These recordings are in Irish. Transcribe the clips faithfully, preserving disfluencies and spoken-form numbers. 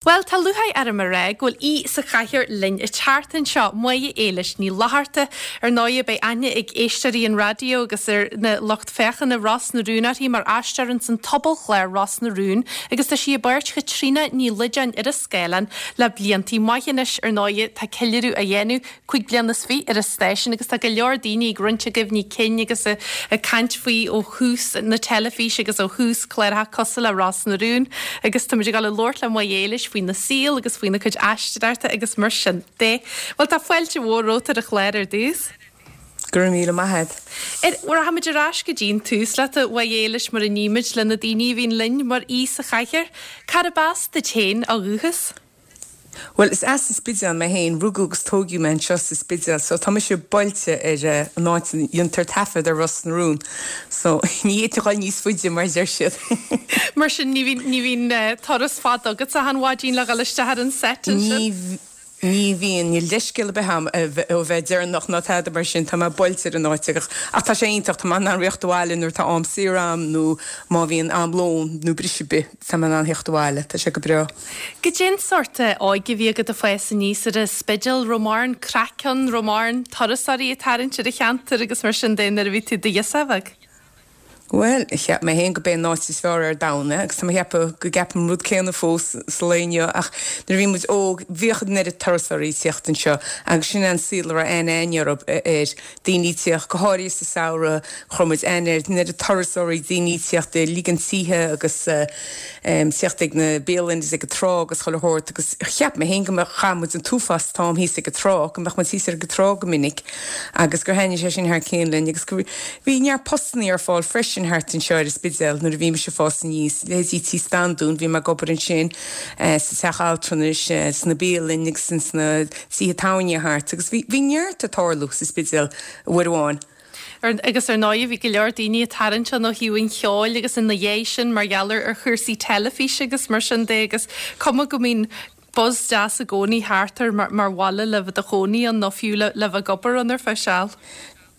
Bhuel, tá lúcháir orm a rá go bhfuil aoi sa chathaoir linn an tseachtain seo, Máire Éilis Ní Fhlatharta. Ar ndóigh, beidh aithne ag éisteoirí an raidió agus ar na lucht féachana Ros na Rún uirthi mar aisteoir ins an tsobalchlár Ros na Rún agus tá sí i bpáirt Chaitríona Ní Loideáin ar an scáileán le bliantaí maithe anois. Ar ndóigh, tá ceiliúradh á dhéanamh cúig bliana is fiche ar an stáisiún agus tá go leor daoine ag roinnt a gcuimhní cinn agus ag caint faoi ó thús na teilifíse agus ó thús cláracha cosúil le Ros na Rún agus táimid ag dul a labhairt le Máire Éilis faoina saol agus faoina cuid aisteoireachta agus mar sin de. Bhuel tá fáilte mhór romhat ar an chlár ar dtús. Go raibh míle maith agat. Rachaimid ar ais go dtí an tús leat a Mháire Éilis mar a nímid le na daoine a bhíonn linn mar aoi sa chathaoir. Cárb as duit féin ó dhúchas? Well is as an Spidéal mé féin rugadh agus tógadh mé anseo sa Spidéal, so tá mise buailte ar eh, an áit a ndéantar taifead ar Ros na Rún. So ní fhéadfainn dul níos faide mar deir siad. Mar sin ní bhíonn ní bhíonn eh, turas fada agat achan mhaidin le dhul isteach ar an set Ní Ní bhíonn ní leithscéal ar bith agam ó bheith deireanach ná tada mar sin tá mé buailte ar an áit ach ach tá sé iontach tá mé in ann rith abhaile nuair tá am saor agam nó má bhíonn am lóin nó briseadh ar bith tá mé in ann theacht abhaile tá sé go breá. Goidé an sórt óige a bhí agat ag fás aníos ar an Spidéal raibh mórán craic ann raibh mórán turasóirí ag tarraingt ar an cheantar agus mar sin de nuair a bhí tú i do ghirseach bheag. Well, cheap mé féin gurb é an áit is fearr ar domhan agus tá mé ag ceapadh go gceapaim an rud céanna fós sa lá inniu ach nuair a bhí muid óg bhíodh an oiread turasóirí ag teacht anseo agus sin an saol a raibh aithne air daoine ag teacht go háirithe sa samhradh chuir muid aithne ar an oiread turasóirí daoine ag teacht ag ligean tithe agus um, teacht ag na bialanna ag an trá agus chuile shórt agus cheap mé féin go mbeadh chaith muid an t-uafás t-am thíos ag an trá go mbeadh muid thíos ar an trá go minic agus gur thaitnigh sé sin thar cionn linn agus go bhí neart postanna ar fáil freisin thart anseo ar an Spidéal nuair a bhí mise ag fás aníos leithéidí Tí Standún bhí mé ag obair ansin eh, sa teach altranais eh, sna bialanna agus sna tithe tábhairne thart agus bhí bhí neart ag tarlú sa Spidéal uair amháin. Ar, agus ar ndóigh bhí go leor daoine ag tarraingt ann ó thaobh an cheoil agus ina dhiaidh sin mar gheall ar chúrsaí teilifíse agus mar sin de agus cuma go mbíonn buzz deas i gcónaí thart ar mar, mar bhaile le bheith i do chónaí ann nó fiú le, le bheith ag obair ann ar feadh seal.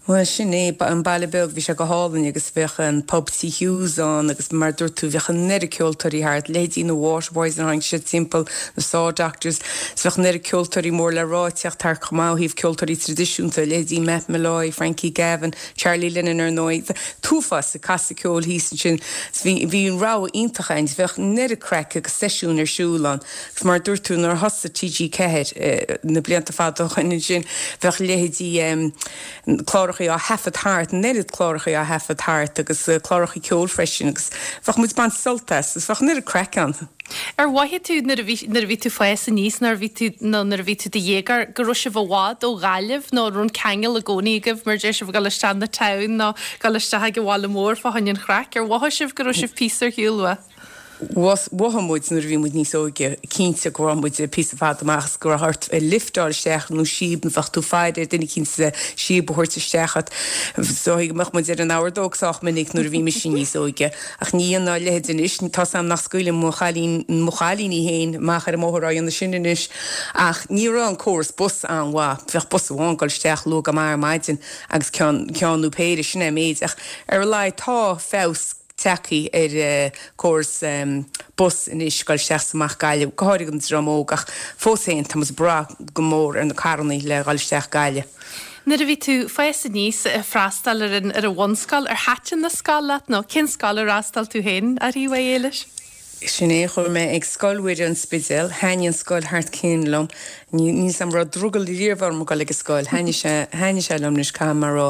Well sin é an baile beag bhí sé go hálainn agus bheadh an pub T Hughes ann agus mar dúirt tú bheadh an oiread ceoltóirí thart leithéidí na Waterboys an tháinig siad timpeall na Saw Doctors, 's bheadh an oiread ceoltóirí mór le rá ag teacht thart chomh maith ó thaobh ceoltóirí traidisiúnta leithéidí Matt Molloy, Frankie Gavin, Charlie Lennon ar ndóigh, t-uafás ag casadh ceoil thíos ansin bhí bhí an rogha iontach ann, bheadh an oiread craic agus seisiún ar siúl ann. Agus mar dúirt tú nuair a thosaigh TG Ceathair eh, na blianta fada ó shin ansin bheadh leithéidí um, cláracha á thaifead thart, an oiread cláracha á thaifead thart agus uh, cláracha ceoil freisin agus bheadh muid ag baint sult as, agus bheadh an oiread craic ann. Ar mhothaigh tú nuair a bhí nuair a bhí tú ag fás aníos nuair a bhí tú nó nuair a bhí tú i do dhéagóir go raibh sibh i bhfad ó Ghaillimh nó raibh an ceangal i gcónaí agaibh mar deir sibh dul isteach na town nó dul isteach ag an bhaile mór fá choinne an chraic ar mhothaigh sibh go raibh sibh píosa ar shiúl uaidh. Mhothaigh muid nuair a bhí muid níos óige cinnte go raibh muid píosa fada amach go raibh ort lift a fháil isteach nó síob nó bheadh tú ag faire ar duine éicint síob a thabhairt isteach at. So go mbeadh muid ar an ordóg sách minic nuair a bhí mise níos óige ach ní an ná leithéid anois tá sam nach scaoilim mo chailín mo chailíní féin amach ar an mbóthar á dhéanamh sin anois ach ní raibh an córas bus an-mhaith bheadh bus amháin ag dul isteach luath go maith ar maidin agus ceann ceann nó péire sin é an méid ach ar a laghad tá feabhas tagtha ar uh, córas um, bus anois dul isteach is amach Gaillimh go háirithe an dream óg ach fós féin tá muid ag brath go mór ar na carranna le dhul isteach Gaillimh. Nuair a bhí tú ag fás aníos ag freastal ar an ar an bhunscoil ar thaitin an scoil leat nó cén scoil ar fhreastail tú féin a Mháire Éilis? Sin é chuaigh mé ag Scoil Mhuire an Spidéal, thaitnigh an scoil thar cionn liom, ní sam raibh drogall riamh orm dul ag an scoil, thaitnigh sé thaitnigh sé liom anois caithfidh mé a rá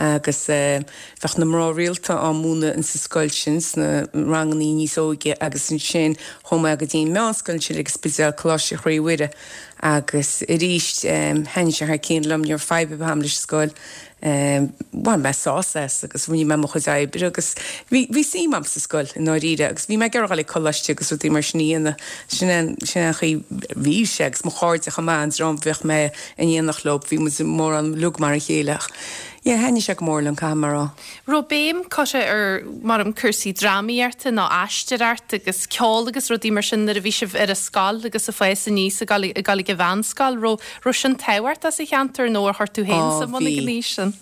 agus uh, bheadh na mná rialta á múineadh in sa scoil sin sna ranganna níos óige agus ansin chuaigh mé go dtí meánscoil sin ag Spidéal Coláiste Chroí Mhuire agus arís um, thaitnigh sé thar cionn liom ní raibh fadhb agam leis scoil. Um, bhain mé sásamh as agus rinne mé mo chuid oibre agus bhí bhí suim agam sa scoil i ndáiríre agus bhí mé ag iarraidh coláiste agus rudaí mar sin a sin sin an chaoi bhí sé agus mo chairde chomh maith an dream bheadh mé in éineacht leo bhí muid mórán uilig mar a chéile. Yeah, thaitnigh sé go mór liom caithfidh mé a rá. Raibh béim curtha ar mar um cúrsaí drámaíochta nó aisteoireacht agus ceol agus rudaí mar sin nuair a bhí sibh ar an scoil agus ag fás aníos ag dul ag dul ag an mheánscoil raibh raibh sin tábhachtach sa cheantar nó ar chuir tú féin Á, sa muna bhí. gníos sin.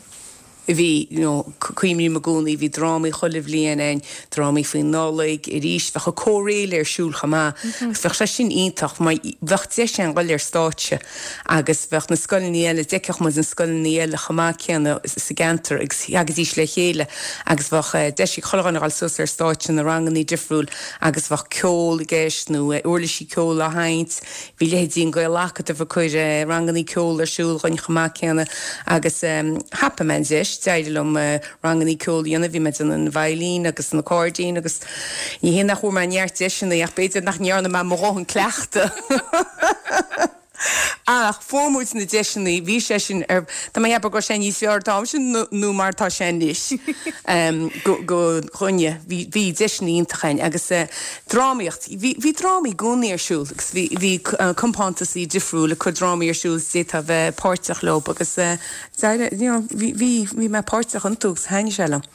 Bhí, you know, cuimhním i gcónaí, bhí drámaí chuile bhliain ann, drámaí faoin Nollaig, arís, bheadh an Comhréidh ar siúl chomh maith, agus bheadh sé sin iontach mar bheadh deis ann dhul ar stáitse agus bheadh na scoileanna eile, d'fheicfeadh muid na scoileanna eile chomh maith céanna sa gceantar agus theagaidís le chéile agus bheadh deis ag chuile dhuine dhul suas ar stáitse na rangannaí difriúil agus bheadh ceol i gceist nó uirlisí ceoil á sheinnt. Bhí leithéidí an Gael-Acadamh ag cur rangannaí ceoil ar siúl dhúinn chomh maith céanna agus thapaigh mé an deis, d'éirigh liom rangannaí ceoil a dhéanamh, bhí mé ag déanamh an veidhlín agus an accordion agus ní hé nach bhfuair mé neart deiseanna ach b'fhéidir nach ndearna mé mo dhóthain cleachtadh. Ach fuair muid na deiseanna, bhí sé sin ar, tá mé ag ceapadh go raibh sé níos fearr an t-am sin nó mar atá sé anois go go dhuine, bhí bhí deiseanna iontacha ann agus drámaíocht, bhí bhí drámaí i gcónaí ar siúl agus bhí bhí compántasaí difriúil ag cur drámaí ar siúl is d'fhéadfá bheith páirteach leo agus you know bhí bhí bhí mé páirteach iontu agus thaitnigh sé liom.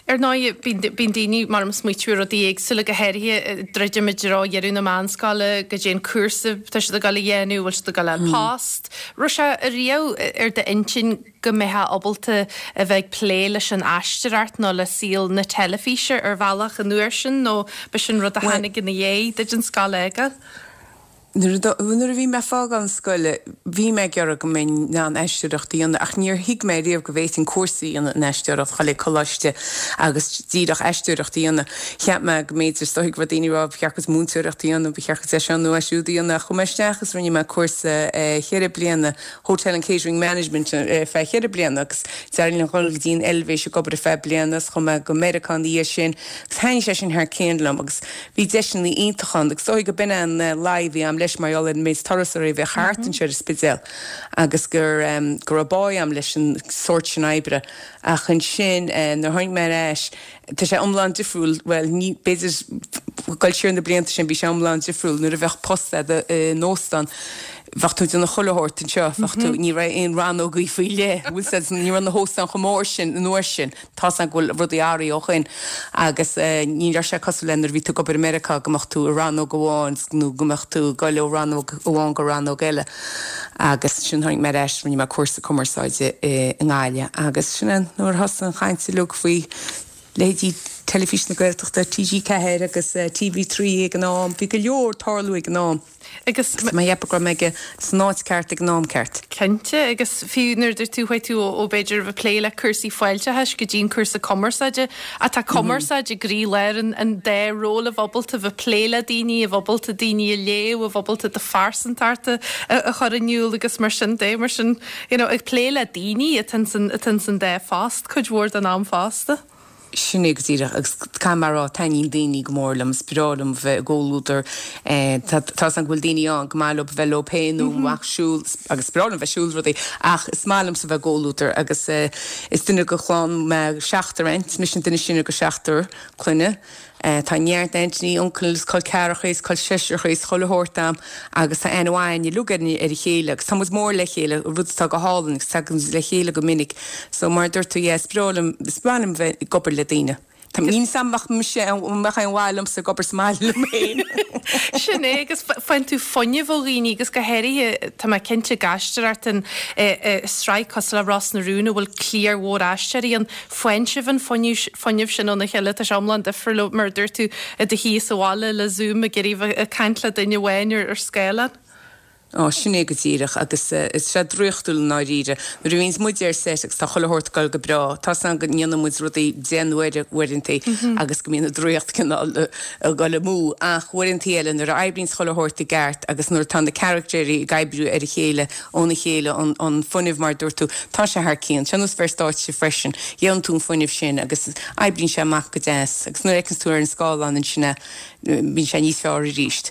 Ar ndóigh, bíonn daoine, mar ag smaoitiú ar rudaí éagsúla, go háirithe druidim i dtreo dheireadh na meánscoile, goidé an cúrsa tá siad ag dul a dhéanamh, bhfuil siad ag dul a fháil post. Raibh sé riamh ar d'intinn go mbeifeá ábalta a bheith ag plé leis an aisteoireacht nó le saol na teilifíse ar bhealach an uair sin nó b'shin rud a tháinig ina dhiaidh duit an scoil a fhágáil? Nuair a bhí mé ag fágáil na scoile, bhí mé ag iarraidh go mbeinn in ann aisteoireacht a dhéanamh ach níor thuig mé riamh go bhféadfainn cúrsa a dhéanamh in aisteoireacht, dhul ag coláiste agus díreach aisteoireacht a dhéanamh. Cheap mé go mb'fhéidir, is dóigh go raibh daoine ag rá ba cheart duit múinteoireacht a dhéanamh, ba cheart duit é seo nó é siúd a dhéanamh. Chuaigh mé isteach agus rinne mé cúrsa cheithre bliana, Hotel and Catering Management, ar feadh cheithre bliana agus d'éirigh liom dhul go dtí an Eilvéis ag obair ar feadh bliana agus chuaigh mé go Meiriceá ina dhiaidh sin agus thaitnigh sé sin thar cionn liom agus bhí deiseanna iontacha ann agus is dóigh go b'in é an luí a bhí a'm leis mar gheall ar an méid turasóirí a bheadh thart anseo ar an Spidéal agus gur go raibh bá a'm leis an sórt sin oibre. Ach ansin nuair a tháinig mé ar ais, tá sé iomlán difriúil, bhuel ní, b'fhéidir dul siar na blianta sin bhí sé iomlán difriúil nuair a bheadh post a'd in óstán, bheadh tú ag déanamh chuile shórt anseo, bheadh tú, ní raibh aon rannógaí faoi leith, bhfuil 's a'd, ní raibh na hóstáin chomh mór sin an uair sin, tá's a'm go bhfuil rudaí athraithe ó shoin agus ní raibh sé cosúil le nuair a bhí tú ag obair i Meiriceá go mbeadh tú i rannóg amháin nó go mbeadh tú ag dul ó rannóg amháin go rannóg eile agus sin tháinig mé ar ais, rinne mé cúrsa cumarsáide i nGaillimh agus sin é nuair a thosaigh an chaint uilig faoi leithéidí Teilifís na Gaeltachta, T G ceathair agus T V trí ag an am, bhí go leor ag tarlú ag an am. Agus Tá mé ag ceapadh go raibh mé ag san áit ceart ag an am ceart. Cinnte, agus fiú nuair a dúirt tú, chuaigh tú ó b'fhéidir a bheith ag plé le cúrsaí fáilteachais go dtí an cúrsa cumarsáide, ach tá cumarsáid i gcroílár an an dá ról, a bheith ábalta a bheith ag plé le daoine, a bheith ábalta daoine a léamh, a bheith ábalta do phearsantacht a a chur in iúl agus mar sin de, mar sin, you know, ag plé le daoine atá ins an atá ins an dá phost cuid mhór den am fosta. Sin é go díreach, agus caithfidh mé a rá, taitníonn daoine go mór liom, is breá liom bheith i gcomhluadar. Tá tá's agam go bhfuil daoine ann go maith leo bheith leo féin nó amach ag siúl, agus is breá liom bheith ag siúl rudaí, ach is maith liomsa bheith i gcomhluadar agus is duine de chlann mé seachtar aint, mise an duine is sine de sheachtar clainne. Tá neart aintíní, uncail is col ceathracha is col seisreacha is chuile shórt a'm agus tá aithne mhaith a'inn uilig ar a chéile agus tá muid mór le chéile, rud atá go hálainn agus tagann muid le chéile go minic. So mar a dúirt tú, yeah, is breá liom, is breá liom bheith ag obair le daoine. Tá, níl 's a'm an mbeadh mise, an mbeadh aon mhaith liomsa ag obair sa mbaile liom féin. Sin é, agus faigheann tú fuinneamh ó dhaoine agus go háirithe, tá mé cinnte ag aisteoireacht in sraith cosúil le Ros na Rún a bhfuil cliar mhór aisteoirí ann, faigheann sibh an fuinneamh sin óna chéile, tá sé iomlán difriúil ó mar a dúirt tú i do shuí sa bhaile le Zoom ag iarraidh bheith ag caint le duine amháin ar scáileán. Ó, sin é go díreach, agus is sé draíochtúil i ndáiríre. Nuair a bhíonns muid ar set agus tá chuile shórt ag dul go breá, tá's agam go ndéanann muid rudaí deich n-uaire uaireantaí agus go mbíonn an draíocht cineál ag dul amú, ach uaireantaí eile nuair a oibríonns chuile shórt i gceart agus nuair atá na caractéirí ag oibriú ar a chéile, óna chéile, an an fuinneamh mar a dúirt tú, tá sé thar cionn. Sé nós bheith ar stáitse freisin, gheobhann tú an fuinneamh sin agus oibríonn sé amach go deas agus nuair a fheiceanns tú ar an scáileán ansin é, bíonn sé níos fearr arís.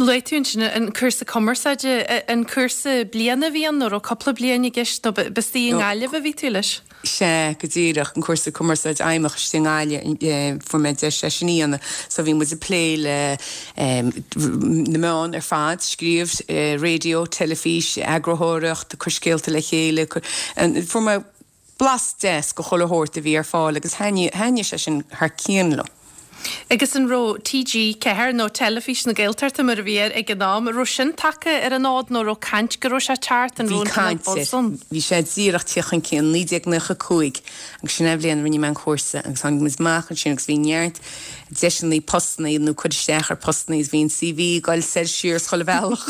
Luaigh tú ansin an cúrsa cumarsáide, an cúrsa bliana a bhí ann nó raibh cúpla bliain i gceist nó b'istigh i nGaillimh a bhí tú leis? Sea, go díreach, an cúrsa cumarsáide fheidhmeach istigh i nGaillimh, fuair mé deis é sin a dhéanamh. So bhí muid ag plé le na meáin ar fad, scríobh, raidió, teilifís, eagarthóireacht, cur scéalta le chéile, fuair mé blas deas de chuile shórt a bhí ar fáil agus thaitnigh sé sin thar cionn liom. Agus an raibh TG Ceathair nó Teilifís na Gaeltachta mar a bhí air ag an am, an raibh sin tagtha ar an fhód nó raibh caint go raibh sé teacht an Bhí raibh an caint buzz air. ann? Bhí sé díreach teacht chun cinn naoi déag nócha cúig agus sin an bhliain a rinne mé an cúrsa agus tháinig muid amach ansin agus bhí neart deiseanna postanna nó cur isteach ar postanna is bhí an CV ag goil soir siar is chuile bhealach.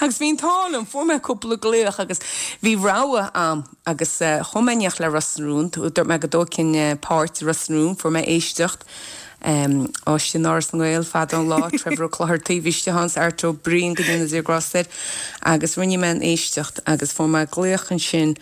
Agus bhí an t-ádh liom, fuair mé cúpla glaoch agus bhí rogha a'm agus eh, chuaigh mé in éineacht le Ros na Rún, dúirt mé go dtógfainn eh, páirt i Ros na Rún, fuair mé éisteacht. Um, Áiste in Áras na nGael fada an lá Trevor Ó Clochartaigh bhí sé Hans Art Ó Briain go ndéana Dia grásta air agus rinne mé an éisteacht agus fuair mé glaoch ansin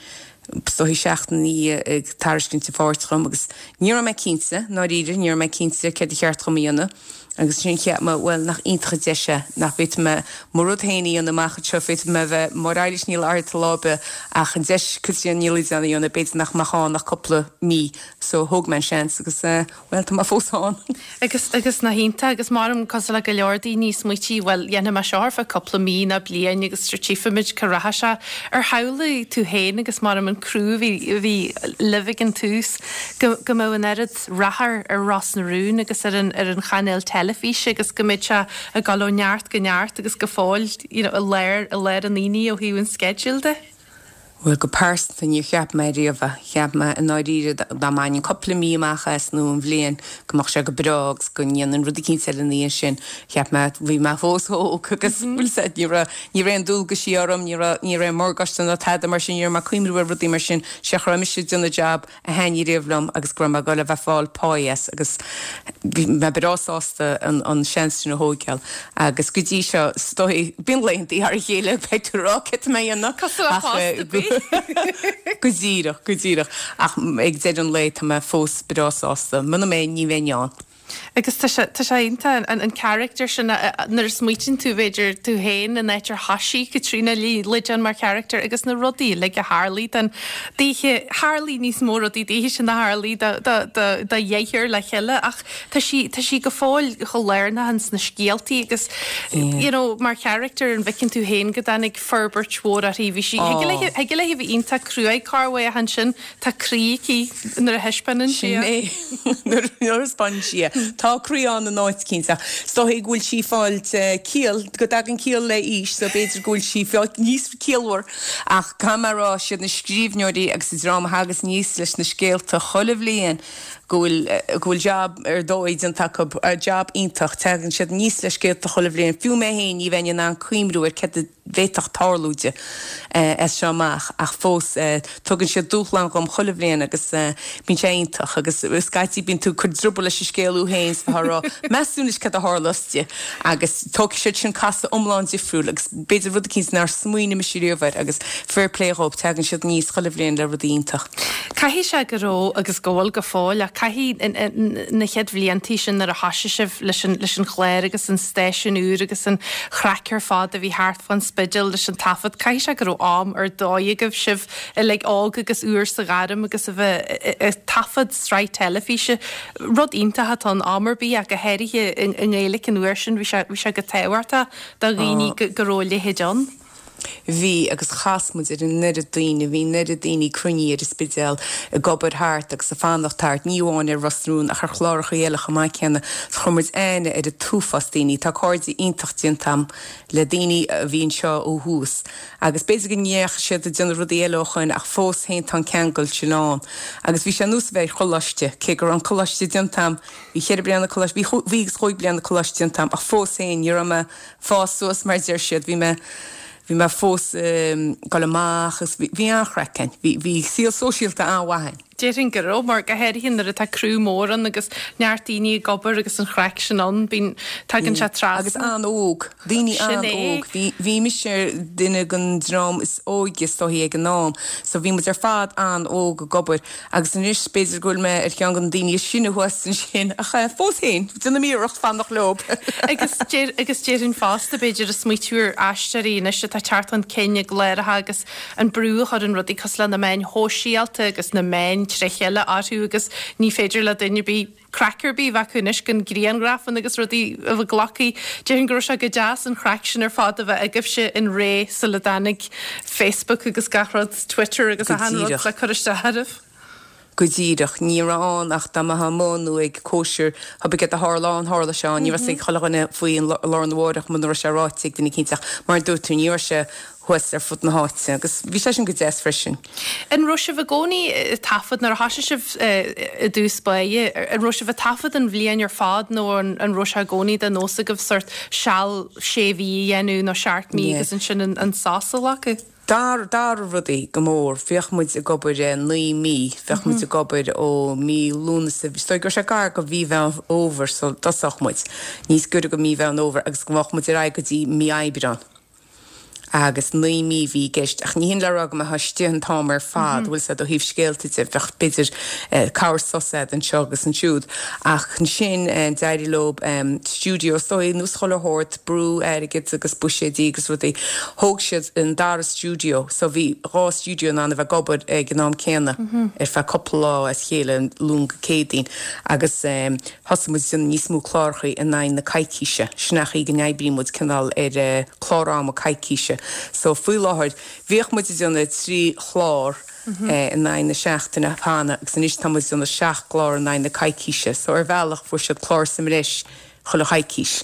is dóichí seachtain ag tairiscint an pháirt dhom agus ní raibh mé cinnte dáiríre ní raibh mé cinnte céard ba cheart dhom a dhéanamh agus sin cheap mé bhuel nach iontach an deis é nach bhféadfaidh mé mo rud féin a dhéanamh amach anseo féadfaidh mé bheith mar Eilís Ní Fhlatharta lá ar bith ach an deis Caitríona Ní Loideáin a dhéanamh b'fhéidir nach mbeadh ann ach cúpla mí so thóg mé an seans agus uh, well tá mé fós ann. Agus agus nach iontach agus maram cosúil le go leor daoine smaoití bhuel dhéanfaidh mé seo ar feadh cúpla mí nó bliain agus tchífimid cá rachaidh sé ar shamhlaigh tú féin agus maram an criú bhí bhí libh ag an tús go go mbeadh an oiread rath ar ar Ros na Rún agus ar an ar an chainéal teilifíse agus go mbeadh sé ag dul ó neart go neart agus go fóill you know, i lár i lár an aonaigh ó thaobh an schedule de. Well go pearsanta níor cheap mé riamh cheap mé i ndáiríre dá mbainfinn cúpla mí amach as nó an bhliain go mbeadh sé go breá agus go ndéanfainn rud éicint eile ina dhiaidh sin cheap mé bhí mé fós óg agus bhfuil sé ní raibh ní raibh aon dualgaisí orm ní raibh ní raibh morgáiste ná tada mar sin ní raibh mé ag cuimhneamh ar rudaí mar sin sé go raibh mise ag déanamh jab a thaitnigh riamh liom agus go raibh mé ag dul a bheith ag fáil pá as agus bhí mé breá sásta an an seans sin a thógáil agus go dtí seo is dóichí bíonn laethantaí thar a chéile beidh tú ag rá cad mé dhéanamh Cosúil le post ar bith. Go díreach go díreach ach ag deireadh an lae tá mé fós breá sásta, Muna mbeinn ní bheinn ann. Agus tá sé tá sé iontach an an character sin nuair a smaoitíonn tú b'fhéidir tú féin an áit ar thosaigh Caitríona Ní Loideáin mar character agus na rudaí le go tharla den daoithe tharla níos mó rudaí daoithe sin na tharla do dheartháir le chéile ach tá sí tá sí go fóill chomh lárnach sna scéaltaí agus you know, mar character an bhfeiceann tú féin go dtáinig forbairt mhór uirthi bhí sí thig léi bheith iontach cruaidh corruair ansin tá croí aici nuair a thaispeánann sí Sin é nuair a thaispeánann sí é. Tá croí ann in áit cinnte. Is dóichí go bhfuil sí ag fáil ciall go dtagann ciall le haois so b'fhéidir go bhfuil sí fáil níos ciallmhar ach caithfidh mé a rá siad na scríbhneoirí agus an dream a thagas aníos leis na scéalta chuile bhliain go bhfuil go bhfuil job ar dóigh déanta acu job iontach tagann siad aníos le scéalta chuile bhliain fiú mé féin ní bheinn in ann cuimhneamh ar cad a bhféadfadh tarlú di as seo amach ach fós tugann siad dúshlán dhom chuile bhliain agus bíonn sé iontach agus scaití bíonn tú ag cur druball leis an scéal féin 's bheith ag rá meas tú anois cad a tharlós di agus tógfaidh siad sin casadh iomlán difriúil agus b'fhéidir rud éicint nár smaoinigh mise riamh air agus fair play dhóibh tagann siad aníos chuile bhliain le rudaí iontach. Caithfidh sé go raibh agus go bhfuil go fóill ach caithfidh na chéad bhliantaí sin nuair a thosaigh sibh leis an leis an chlár agus an stáisiún úr agus an chraic ar fad a bhí thart fán Spidéal leis an taifead caithfidh sé go raibh am ar dóigh agaibh sibh uilig óg agus úr sa ghairm agus a bheith ag taifead sraith teilifíse rud iontach atá in am ar bith ach go háirithe i nGaeilge an uair sin bhí sé bhí sé go tábhachtach do dhaoine go raibh a leithéid ann. Bhí agus chas muid ar an oiread daoine, bhí an oiread daoine cruinnithe ar an Spidéal ag obair thart agus ag fanacht thart, ní amháin ar Ros na Rún ach ar chláracha eile chomh maith céanna. So chuir muid aithne ar an t-uafás daoine, tá cairde iontach déanta agam le daoine a bhí anseo ó thús. Agus b'fhéidir go ndeachaigh siad ag déanamh rudaí eile ó shin ach fós féin tá an ceangal sin ann. Agus bhí sé ar nós a bheith ar choláiste, cé go raibh an coláiste déanta agam, bhí ceithre bliana coláiste, bhí bhí agus chúig bliana coláiste déanta agam ach fós féin ní raibh mé fás suas mar deir siad, bhí mé bhí mé fós ag dul amach agus bhí an-chraic ann, bhí bhí saol sóisialta an-mhaith ann. Déarfainn go raibh mar go háirithe nuair atá criú mór ann agus neart daoine ag obair agus an chraic sin ann bíonn tagann sé Agus trasna. an-óg, daoine Sin é. an-óg, bhí bhí mise duine den dream is óige is dóichí ag an am, so bhí muid ar fad an-óg ag obair agus anois b'fhéidir go bhfuil mé ar cheann de na daoine is sine thuas ansin ach fós féin, déanaim iarracht fanacht leo. Agus deir agus déarfainn fosta b'fhéidir ag smaoitiú ar aisteoirí anois atá teacht chun cinn i gcláracha agus an brú a chuireann rudaí cosúil le na meáin shóisialta agus na meáin trí chéile orthu agus ní féidir le duine ar bith craic ar bith a bheith acu anois gan grianghrafanna agus rudaí a bheith glactha. Déarfainn go raibh sé go deas an chraic sin ar fad a bheith agaibhse in ré sula dtáinig Facebook agus gach rud Twitter agus Go achan rud díreach. le cur isteach oraibh. Go díreach, ní raibh ann ach dá mbeifeá amuigh nó ag cóisir, pé céard a tharla ann, tharla sé ann, ní raibh a fhios ag chuile dhuine faoi an lá arna mhárach muna raibh sé ráite ag duine eicínt ach mar a dúirt tú, ní raibh sé thuas ar fud na háite agus bhí sé sin go deas freisin. An raibh sibh i gcónaí ag taifead nuair a thosaigh sibh i dtús báire, an raibh sibh ag taifead an bhliain ar fad nó an raibh sé i gcónaí de nós agaibh sort seal sé mhí a dhéanamh nó seacht mí agus ansin an sos a ghlacadh? D'athraigh rudaí go mór. Bhíodh muid ag obair naoi mí, bheadh muid ag obair ó mí Lúnasa, is dóigh go raibh sé gar go mhí Mheán Fhómhair sula dtosódh muid, níos gaire go mí Mheán Fhómhair agus go mbeadh muid ar aghaidh go dtí mí Aibreán. Agus naoi mí a bhí i gceist, ach ní hin le rá go mbeifeá istigh an t-am ar fad, bhfuil 's a'd, ó thaobh scéalta de, bheadh b'fhéidir corr sos a'd anseo agus ansiúd. Ach ansin d'éirigh leo stiúideo, is dóigh, nós chuile shórt, brú airgid agus buiséidí agus rudaí, thóg siad an dara stiúideo, so bhí dhá stiúideo in ann a bheith ag obair ag an am céanna ar feadh cúpla lá as a chéile, Luan go Céadaoin, agus thosaigh muid ag déanamh níos mó clárachaí in aghaidh na coicíse, sin an chaoi go n-oibríonn muid cineál ar chlár ama coicíse. So faoi láthair, bhíodh muid ag déanamh trí chlár in aghaidh na seachtaine cheana agus anois tá muid ag déanamh seacht gclár in aghaidh na coicíse. So ar bhealach fuair siad clár sa mbreis chuile choicís.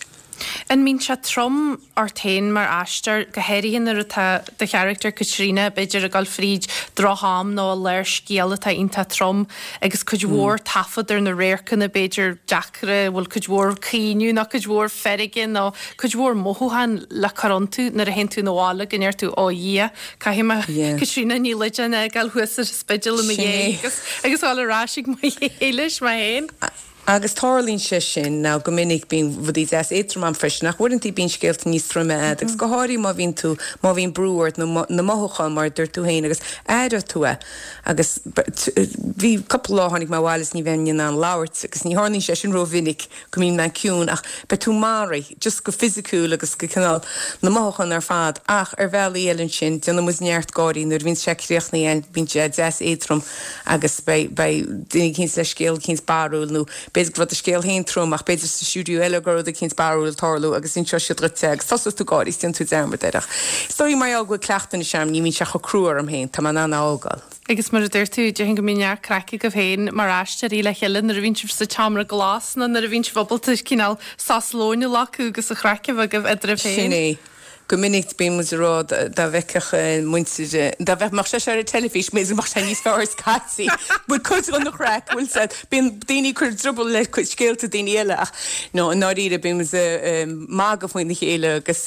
An mbíonn sé trom ort féin mar aisteoir, go háirithe nuair atá do charachtar Caitríona b'fhéidir ag dul fríd droch-am nó i lár scéal atá iontach trom agus cuid mhór taifead ar na radharcanna b'fhéidir deacra, a bhfuil cuid mhór caoineadh nó cuid mhór feirge nó cuid mhór mothúchán le cur iontu nuair a théann tú 'na bhaile go ndeir tú 'Ó a Dhia, caithfidh mé Caitríona Ní Loideáin a fhágáil thuas ar an Spidéal i mo dhiaidh agus agus dul ar ais ag Maigh Éilis mé féin. Agus tarlaíonn sé sin, nó go minic bíonn rudaí deas éadrom ann freisin, ach uaireanta bíonn scéalta níos troime a'd, agus go háirithe má bhíonn tú, má bhíonn brú ort nó na mothúcháin mar a dúirt tú féin agus aireoidh tú é. Agus bhí cúpla lá tháinig mé abhaile is ní bheinn in ann labhairt agus ní tharlaíonn sé sin rómhinic go mbíonn mé ciúin ach beidh tú maraithe, just go fisiciúil agus go cineál na mothúcháin ar fad. Ach ar bhealaí eile ansin, déanann muid neart gáirí nuair a bhíonn sé críochnaithe, bíonn sé deas éadrom agus beidh, beidh duine eicínt le scéal eicínt barrúil nó b'fhéidir go raibh do scéal féin trom ach b'fhéidir sa stiúideo eile go raibh rud eicínt barrúil ag tarlú agus inseoidh siad dhuit é agus tosóidh tú ag gáirí is déanfaidh tú dearmad air ach is dóigh mar gheall go bhfuil cleachtadh anois orm ní bhíonn sé chomh crua orm féin, tá mé in ann é a fhágáil. Agus mar a dúirt tú, déarfainn go mbíonn neart craic agaibh féin mar aisteoirí le chéile nuair a bhíonn sibh sa tseomra glas nó nuair a bhíonn sibh ábalta cineál sos lóin a ghlacadh agus an chraic a bheith agaibh eadraibh féin. Sin é. Go minic bíonn muid ag rá dá bhfeicfeadh muintir, dá mbeadh sé seo ar an teilifís, b'fhéidir go mbeadh sé níos fearr scaití. Bhfuil cuid den chraic, bhfuil a fhios a'd, bíonn daoine ag cur druball le scéalta daoine eile ach no, i ndáiríre bíonn muid ag magadh faoina chéile agus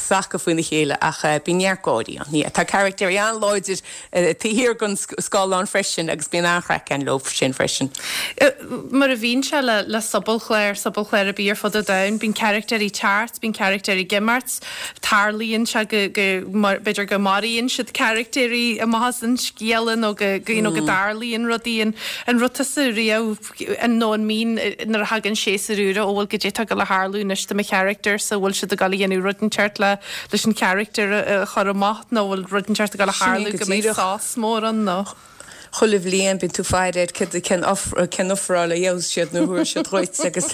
sacadh faoina chéile ach bíonn neart gáirí ann. Yeah, tá caractéirí an-láidir taobh thiar den scáileán freisin agus bíonn an-chraic ann leo sin freisin. Mar a bhíonn sé le le sobalchlár, sobalchlár ar bith ar fud an domhain, bíonn caractéirí ag teacht, bíonn caractéirí ag imeacht, tarlaíonn sé go go b'fhéidir go maraíonn siad caractéirí amach as an scéal nó go go you know go dtarlaíonn rudaí. An an raibh tusa riamh nó an mbíonn nuair a thagann séasúr úr, ó bhuel goidé atá ag dul a tharlú anois do mo charachtar-sa, bhfuil siad ag dul a dhéanamh rud inteacht le leis an charachtar a chur amach nó bhfuil rud inteacht ag dul a Sin é tharlú go go mbeidh díreach. sos mór ann nó. Chuile bhliain bíonn tú ag faire ar céard cén cén ofráil a gheobhas siad nó a thabharfaidh siad dhuit agus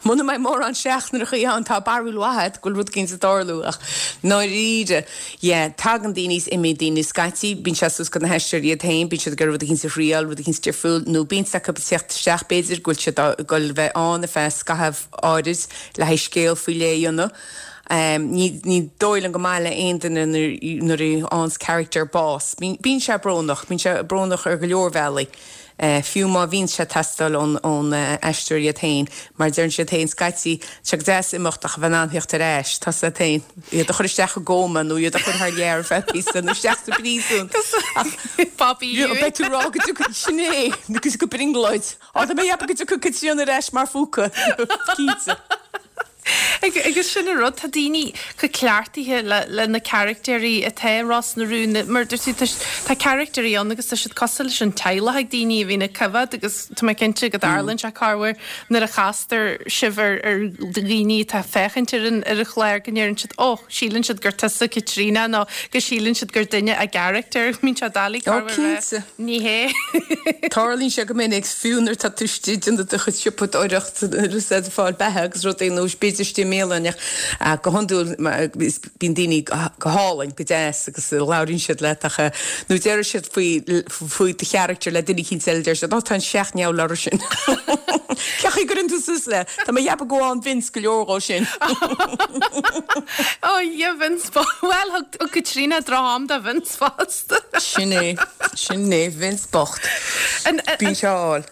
muna mbeidh mórán seachnaíochaí ann tá barúil mhaith agat go bhfuil rud éicint ag tarlú ach ndáiríre yeah tagann daoine is imíonn daoine scaití bíonn sé suas go na haisteoirí iad féin bíonn siad ag iarraidh rud éicint a thriail rud éicint difriúil nó bíonn acu ag teacht isteach b'fhéidir go bhfuil siad ag dul a bheith ann ar feadh scaitheamh áirid le haghaidh scéal faoi leith a dhéanamh. Ní ní dóigh liom go maith le aon duine nuair a fhaigheanns character bás. Bíonn sé brónach, bíonn sé brónach ar go leor bealaí, fiú má bhíonn sé ag teastáil ón ón aisteoir iad féin, mar deireann siad féin scaití, tá sé go deas imeacht ach a bheith in ann theacht ar ais, tá siad féin, iad a chur isteach i gcóma nó iad a chur thar lear ar feadh píosa nó isteach sa bpríosún. Ach Bobby beidh tú ag rá go dtiocfaidh, sin é, go brionglóid. Á, tá mé ag ceapadh go dtiocfaidh Caitríona ar ais mar phúca, cinnte. Agus sin an rud, tá daoine chomh cleachtaithe le na caractéirí atá i Ros na Rún, mar dúirt tú, tá caractéirí ann agus tá siad cosúil leis an teaghlach ag daoine a bhíonn ag coimhéad agus tá mé cinnte go dtarlaíonn sé corruair nuair a chastar sibh ar dhaoine atá ag féachaint ar an ar an chlár go ndeireann siad 'Ó, síleann siad gur tusa Caitríona' nó go síleann siad gur duine a gcarachtar. Bíonn sé doiligh Ó, corruair a rá cinnte. Ní hé. Tarlaíonn sé go minic, fiú nuair atá tú istigh ag déanamh do chuid siopadóireacht, ag fáil beatha agus rudaí nó b'fhéidir istigh i mbéal ach go hiondúil bíonn daoine go hálainn go deas agus labhraíonn siad leat ach nó deir siad faoi faoi do charachtar le duine éicint eile deir siad ó tá an seacht ndeabhal sin. Cén chaoi gcuireann tú suas le Tá mé ag ceapadh go bhfaigheann Vince go leor dhó sin. Ó yeah Vince well thug Caitríona droch-am do Vince fosta. Sin é sin é Vince bocht. Bíonn sé áil.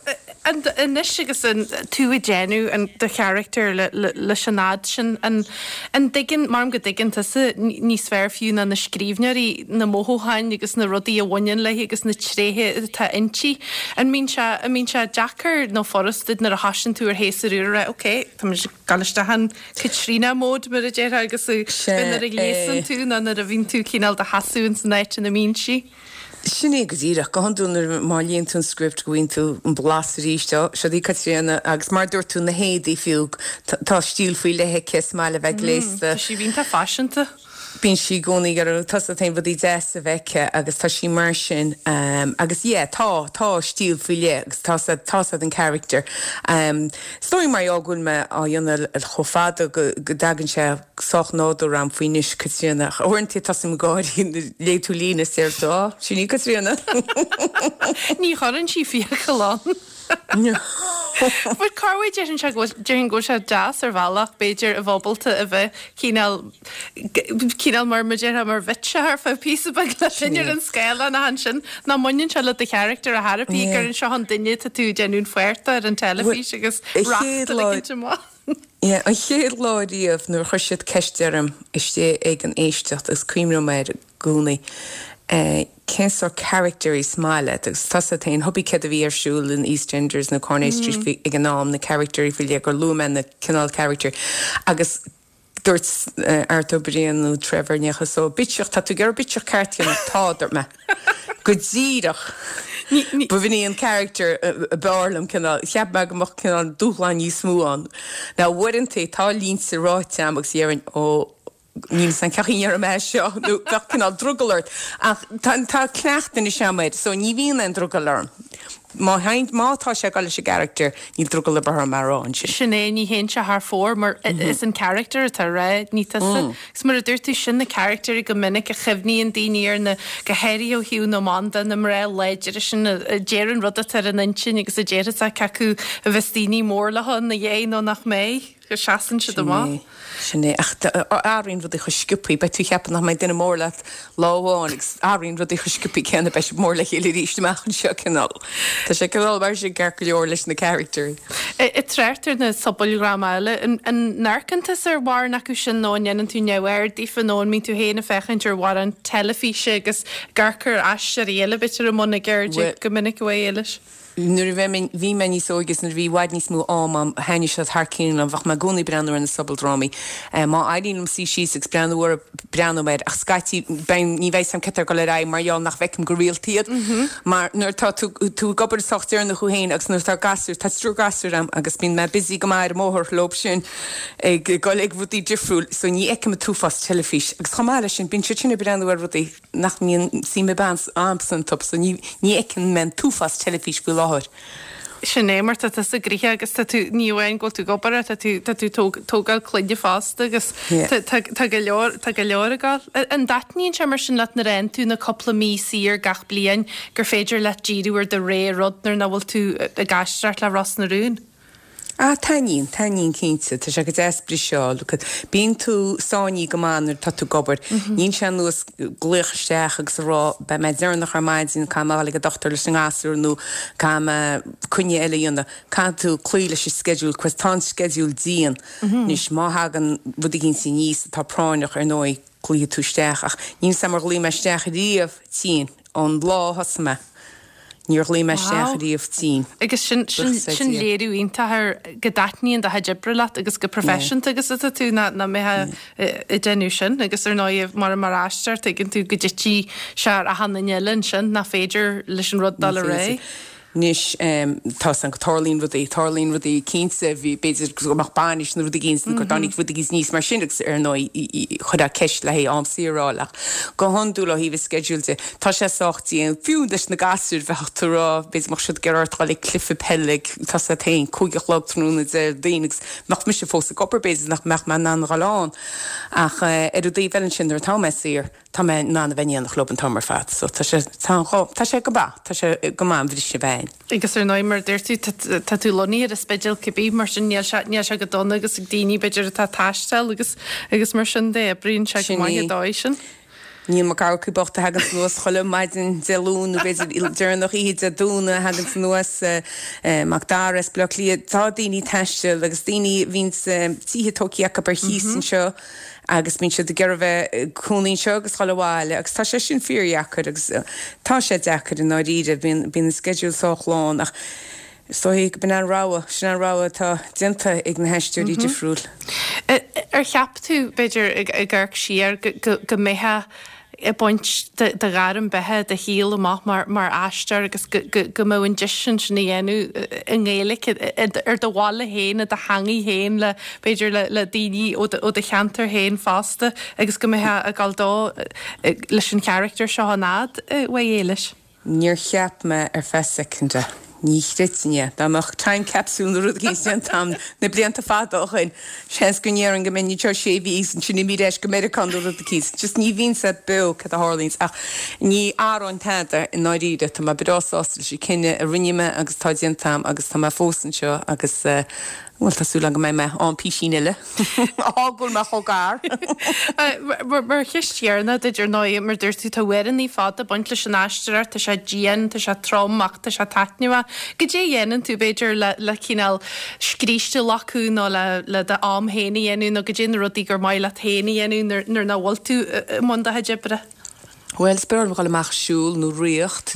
Anois agus an tú ag déanamh an do charachtar leis an fhad sin an an dtuigeann mar go dtuigeann tusa níos fearr fiú ná na scríbhneoirí na mothúcháin agus na rudaí a bhaineann léi agus na tréithe atá inti. An mbíonn sé an mbíonn sé deacair nó furasta nuair a thosaíonn tú ar shéasúr úr rá ok Tá dul isteach an Caitríona mode mar a déarfá agus nuair a ghléasann tú ná nuair a bhíonn tú cineál do sheasamh san áit ina mbíonn sí. Sin é go díreach go hiondúil nuair má léann tú an script go bhfaigheann tú an blas arís ó seo í Caitríona agus mar dúirt tú na héadaí fiú tá stíl faoi leith aici is maith le bheith gléasta. Tá sí iontach faiseanta. Bíonn sí i gcónaí ag iarraidh tusa féin rudaí deas a bheith aici agus tá sí mar sin um, agus yeah, tá tá stíl faoi leith agus tá sa tá sa den character. Um, Is dóigh mar go bhfuil mé á dhéanamh chomh fada go go dtagann sé sách nádúrtha a'm faoi anois Caitríona. Uaireanta tosaím ag gáirí léigh tú líne is deir tú á sin í Caitríona. Ní chuireann sí fiacail ann. But corruair déarfainn sé go déarfainn go bhfuil sé deas ar bhealach b'fhéidir a bheith ábalta a bheith cineál cineál mar mar déarfá mar bhitse ar feadh píosa beag le duine ar an scáileán ach ansin ná mbaineann sé le do charachtar a therapy gur an seo an duine tá tú ag déanamh an pháirt ar an teilifís agus racht a ligint amach. Yeah, an chéad lá riamh nuair a chuir siad ceist orm istigh ag an éisteacht agus cuimhním air i gcónaí. Uh, cén sórt character is maith leat agus tá sé tain hobby cé a bhí ar siúl in EastEnders nó Corney Street mm. ag an am na character faoi leith gur luaigh mé na cineál character agus dúirt uh, Art Ó Briain nó Trevor necha so bitseach tá tú gur bitseach ceart tá dúirt mé. Go díreach. B'in í an character a b'fhearr liom cineál cheap mé go mbeadh cineál dúshlán níos mó ann. Now uaireanta tá línte ráite agam agus déarfainn ó níl san ceaín ar mé seo nó bheadh cineál drogall ort ach tá tá cleachtadh anois agam air so ní bhíonn aon drogall orm. Má má tá sé gal leis an gcarachtar níl drogall ar bith orm mar rá sin. Sin é ní théann sé thar fóir mar is an character atá rá ní tusa. Is mar a dúirt tú sin na character go minic a chuimhníonn daoine ar na go háirithe ó thaobh na mban de na mná láidre sin a deireann rud atá ar an intinn agus a deir cé acu a bheas daoine mór leo ina dhiaidh nó nach mbeidh go seasann siad amach. Sin é ach athraíonn rudaí chomh sciobtha, beidh tú ag ceapadh nach mbeidh duine mór leat lá amháin agus athraíonn rudaí chomh sciobtha céanna beidh sibh mór le chéile arís amach anseo cineál. Tá sé cineál mar sin ceart go leor leis na characters. I dtrácht ar na sobaldrámaí eile an amharcann tusa ar mhórán acu sin nó an ndéanann tú neamhaird díofa nó an mbíonn tú féin ag féachaint ar mhórán teilifíse agus ag amharc ar aisteoirí eile b'fhéidir i mbun a gceirde go minic a Éilis. Nuair a bhí mé níos óige nuair a bhí i bhfad níos mó am agam thaitnigh siad thar cionn liom bheadh mé i gcónaí ag breathnú ar na sobaldrámaí. Má éiríonn liom suí síos agus breathnú orthu breathnóidh mé air ach scaití ní bheidh a fhios agam cad tá ag dul ar aghaidh mar gheall nach bhfeicim go rialta iad. Mar nuair tá tú tú ag obair sách deireanach thú féin agus nuair atá gasúir tá triúr gasúr agam agus bíonn mé busy go maith ar an mbóthar leo sin ag dul ag rudaí difriúil so ní fheicim an t-uafás teilifís. Agus chomh maith leis sin bíonn siad sin ag breathnú ar rudaí nach mbíonn suim agamsa iontu so ní ní fheiceann mé an t-uafás teilifís faoi láthair. Sin é mar tá tusa gnoitheach agus tá tú ní amháin go bhfuil tú ag obair tá tú tá tú tógáil clainne fosta agus tá go leor tá go leor ag gabháil. An dtaitníonn sé mar sin leat nuair a fhaigheann tú na cúpla mí saor gach bliain gur féidir leat díriú ar do rogha rud nuair nach bhfuil tú ag aisteoireacht le Ros na Rún? Ah taitníonn, taitníonn cinnte, tá sé go deas briseadh. Bíonn tú sáinnithe go maith nuair atá tú ag obair. Níl sé ar nós glaoch isteach agus a rá beidh mé deireanach ar maidin caithfidh mé a dhul ag an dochtúir leis an ngasúr nó caithfidh mé coinne eile a dhéanamh. Caithfidh tú cloí leis an sceideal cos tá an sceideal dian. Anois má thagann rud éicint aníos atá práinneach ar ndóigh glaofaidh tú isteach ach níl a fhios agam ar ghlaoigh mé isteach riamh tinn ón lá a thosaigh mé. Níor ghlaoigh mé isteach riamh tinn. Agus sin sin léiriú iontach ar go dtaitníonn do chuid oibre leat agus go proifisiúnta agus atá tú ná ná mbeifeá ag déanamh sin agus ar ndóigh mar mar aisteoir tuigeann tú go dtitfidh sé ar achan duine eile ansin nach féidir leis an rud dul ar aghaidh. Anois tá san go tarlaíonn rudaí, tarlaíonn rudaí cinnte, bhí b'fhéidir go mbeadh bainis nó rud éigin nó go dtáinig rud éigin níos mar sin agus ar ndóigh chuirfeá ceist le haghaidh am saor a fháil ach go hiondúil ó thaobh an schedule de tá sé sách dian, fiú leis na gasúir bheadh tú ag rá b'fhéidir mbeadh siad ag iarraidh ort dul ag cluiche peile ag tá sé féin cúig a chlog tráthnóna Déardaoin agus mbeadh mise fós ag obair b'fhéidir nach mbeadh mé in ann a dhul ann ach ar an dtaobh eile ansin nuair atá mé saor tá mé in ann a bheith in éineacht leo an t-am ar fad so tá sé tá tá sé go maith tá sé go maith an bhriseadh bheith ann. Agus ar ndóigh mar a dúirt tú tá tú lonnaithe ar an Spidéal cibé mar sin níl sé níl sé go dona agus ag daoine b'fhéidir atá ag taisteal agus agus mar sin de oibríonn sé go maith Sin an é. dóigh sin. Níl Mac Eamharcaigh bocht a thaganns anuas chuile maidin Dé Luain nó b'fhéidir deireanach oíche Dé Domhnaigh a thaganns anuas Mac Dara as Baile Átha Cliath. Tá daoine ag taisteal agus daoine a bhíonns tithe tógtha acu ar chíos anseo agus bíonn siad ag iarraidh bheith ag cónaí anseo agus dhul abhaile agus tá sé sin fíordheacair agus tá sé deacair i ndáiríre, bíonn bíonn an sceideal sách lán ach is dóigh go b'in an rogha, sin an rogha atá déanta ag na haisteoirí difriúil. Ar cheap tú, b'fhéidir, ag amharc siar, go mbeifeá ag baint de ghairm beatha do shaol amach mar mar aisteoir agus go go mbeadh an deis sin sin a dhéanamh i nGaeilge ar do bhaile féin, i do theangaidh féin le b'fhéidir le le daoine ó do ó do cheantar féin fosta agus go mbeifeá ag gabháil dó leis an charachtar seo an fhad, a Mhaigh Éilis? Níor cheap mé ar feadh soicind. Ní chreidfinn é. Dá mbeadh time capsule nó rud éigin déanta agam na blianta fada ó shin, seans go ndéarfainn go mbeinn anseo sé mhí agus ansin imí ar ais go Meiriceá nó rud éicint. Just ní bhíonn sé beo cad a tharlaíonns ach ní athróinn tada i ndáiríre. Tá mé breá sásta leis an cinneadh a rinne mé agus atá déanta agam agus tá mé fós anseo agus eh, Bhuel, tá súil agam go mbeidh mé ann písín eile. Á, go bhfuil mé chomh gar. Mar cheist dheireanach duit, ar ndóigh, mar dúirt tú, tá uaireanna fada ag baint leis an aisteoireacht, tá sé dian, tá sé trom ach tá sé taitneamhach. Goidé a dhéanann tú, b'fhéidir, le le cineál scríste a ghlacadh nó le le d'am féin a dhéanamh nó goidé na rudaí gur maith leat féin a dhéanamh nuair nuair nach bhfuil tú i mbun do chuid oibre? Bhuel, is breá liom dhul amach ag siúl nó rith,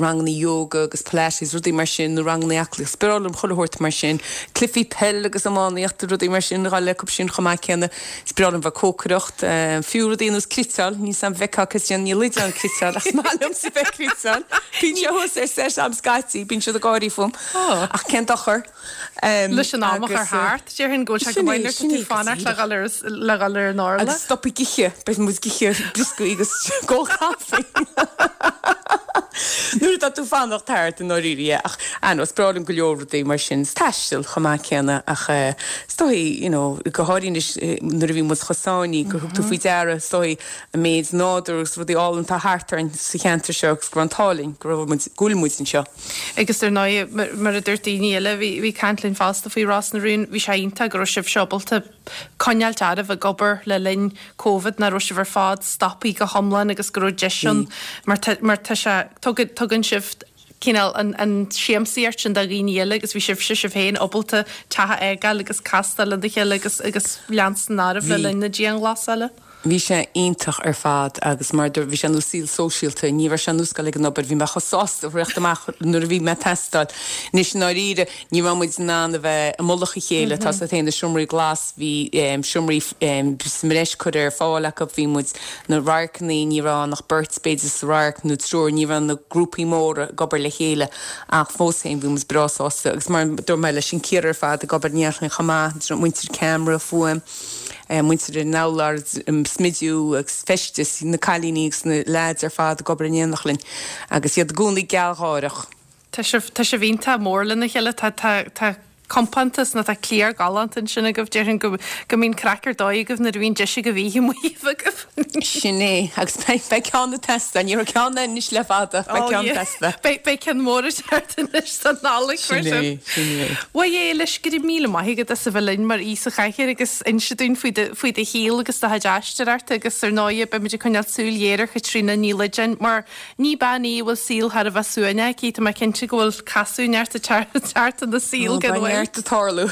ranganna yoga agus pilates, rudaí mar sin, nó ranganna aclaíochta. Is breá liom chuile shórt mar sin. Cluichí peil agus iománaíocht, rudaí mar sin, dhul acu sin chomh maith céanna. Is breá liom bheith ag cócaireacht, fiú rudaí ar nós cniotáil, níl 's a'm bhfeicfeá Caitríona Ní Loideáin ag cniotáil ach is maith liomsa bheith ag cniotáil. Bíonn sé thuas ar set agam scaití, bíonn siad ag gáirí fúm. Ach cén dochar? Leis an am a chur thart, déarfainn go bhfuil sé go maith nuair atá tú ag fanacht le dhul ar le dhul ar an orla. Agus stop ag ithe, beidh muid ag ithe brioscaí agus ag ól caife. Nuair atá tú ag fanacht thart i ndáiríre, ach ah no, is breá liom go leor rudaí mar sin, is taisteal chomh maith céanna ach is dóigh, you know, go háirithe anois nuair a bhí muid chomh sáinnithe gur thug tú faoi deara, is dóigh, an méid nádúr agus rudaí álainn atá thart orainn sa cheantar seo agus go raibh an t-ádh linn go raibh muid, go bhfuil muid anseo. Agus ar ndóigh, mar a dúirt daoine eile, bhí bhí caint linn fosta faoi Ros na Rún, bhí sé iontach go raibh sibhse ábalta coinneáilt oraibh ag obair le linn Covid, nach raibh sibh ar fad stoptha go hiomlán agus go raibh deis ann mar tá mar tá sé tugann tugann sibh cineál an an siamsaíocht sin do dhaoine eile agus bhí sibhse sibh féin ábalta teach a fhágáil agus castáil lena chéile agus agus leanstan oraibh le Bhí. linn na dianghlasála. Bhí sé iontach ar fad agus mar bhí sé ar nós saol sóisialta, ní raibh sé ar nós dul ag an obair, bhí mé chomh sásta rith amach nuair a bhí mé ag teastáil. Anois i ndáiríre, ní raibh muid in ann a bheith i mullach a chéile, tá 's agat féin na seomraí glas, bhí seomraí sa mbreis curtha ar fáil acu, bhí muid na radharcanna, ní raibh ann ach beirt b'fhéidir sa radharc nó triúr, ní raibh na grúpaí móra ag obair le chéile ach fós féin bhí muid breá sásta agus mar a dúirt mé leis an cliar ar fad ag obair in éineacht linn chomh maith, muintir ceamara, fuaim. Muintir an urláir, smidiú agus feisteas, na cailíní agus na leaids ar fad ag obair in éineacht linn agus iad i gcónaí gealgháireach. Tá sibh, tá sibh iontach mór lena chéile, tá, tá, tá compántas nó tá cliar galánta ansin agaibh, déarfainn go, go mbíonn craic ar dóigh agaibh nuair a bhíonn deis agaibh oíche amuigh a bheith agaibh. Sin é, agus beidh, beidh ceann ag teastáil, ní raibh ceann ann anois le fada, beidh ceann ag teastáil. Beidh, beidh ceann mór ag teacht anois don Nollaig mar Sin sin. é, sin é. Mhaigh Éilis, go raibh míle maith agat as a bheith linn mar aoi sa chathaoir agus inse dúinn faoi do, faoi do shaol agus do chuid aisteoireachta agus ar ndóigh beimid ag coinneáil súil ghéar ar Chaitríona Ní Loideáin mar ní bean í a bhfuil saol thar a bheith suaimhneach aici, tá mé cinnte go bhfuil casadh neart ag teacht ina saol gan mhoill. Neart ag tarlú.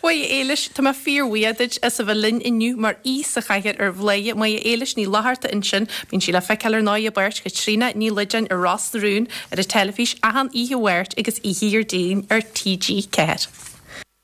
Mhaigh Éilis, tá mé fíorbhuíoch duit as a bheith linn inniu mar aoi sa chathaoir ar Bhladhaire. Maigh Éilis Ní Fhlatharta ansin, bíonn sí le feiceáil ar ndóigh i bpáirt Chaitríona Ní Loideáin ar Ros na Rún ar an teilifís achan oíche Mháirt agus oíche Dhéardaoin ar T G ceathair.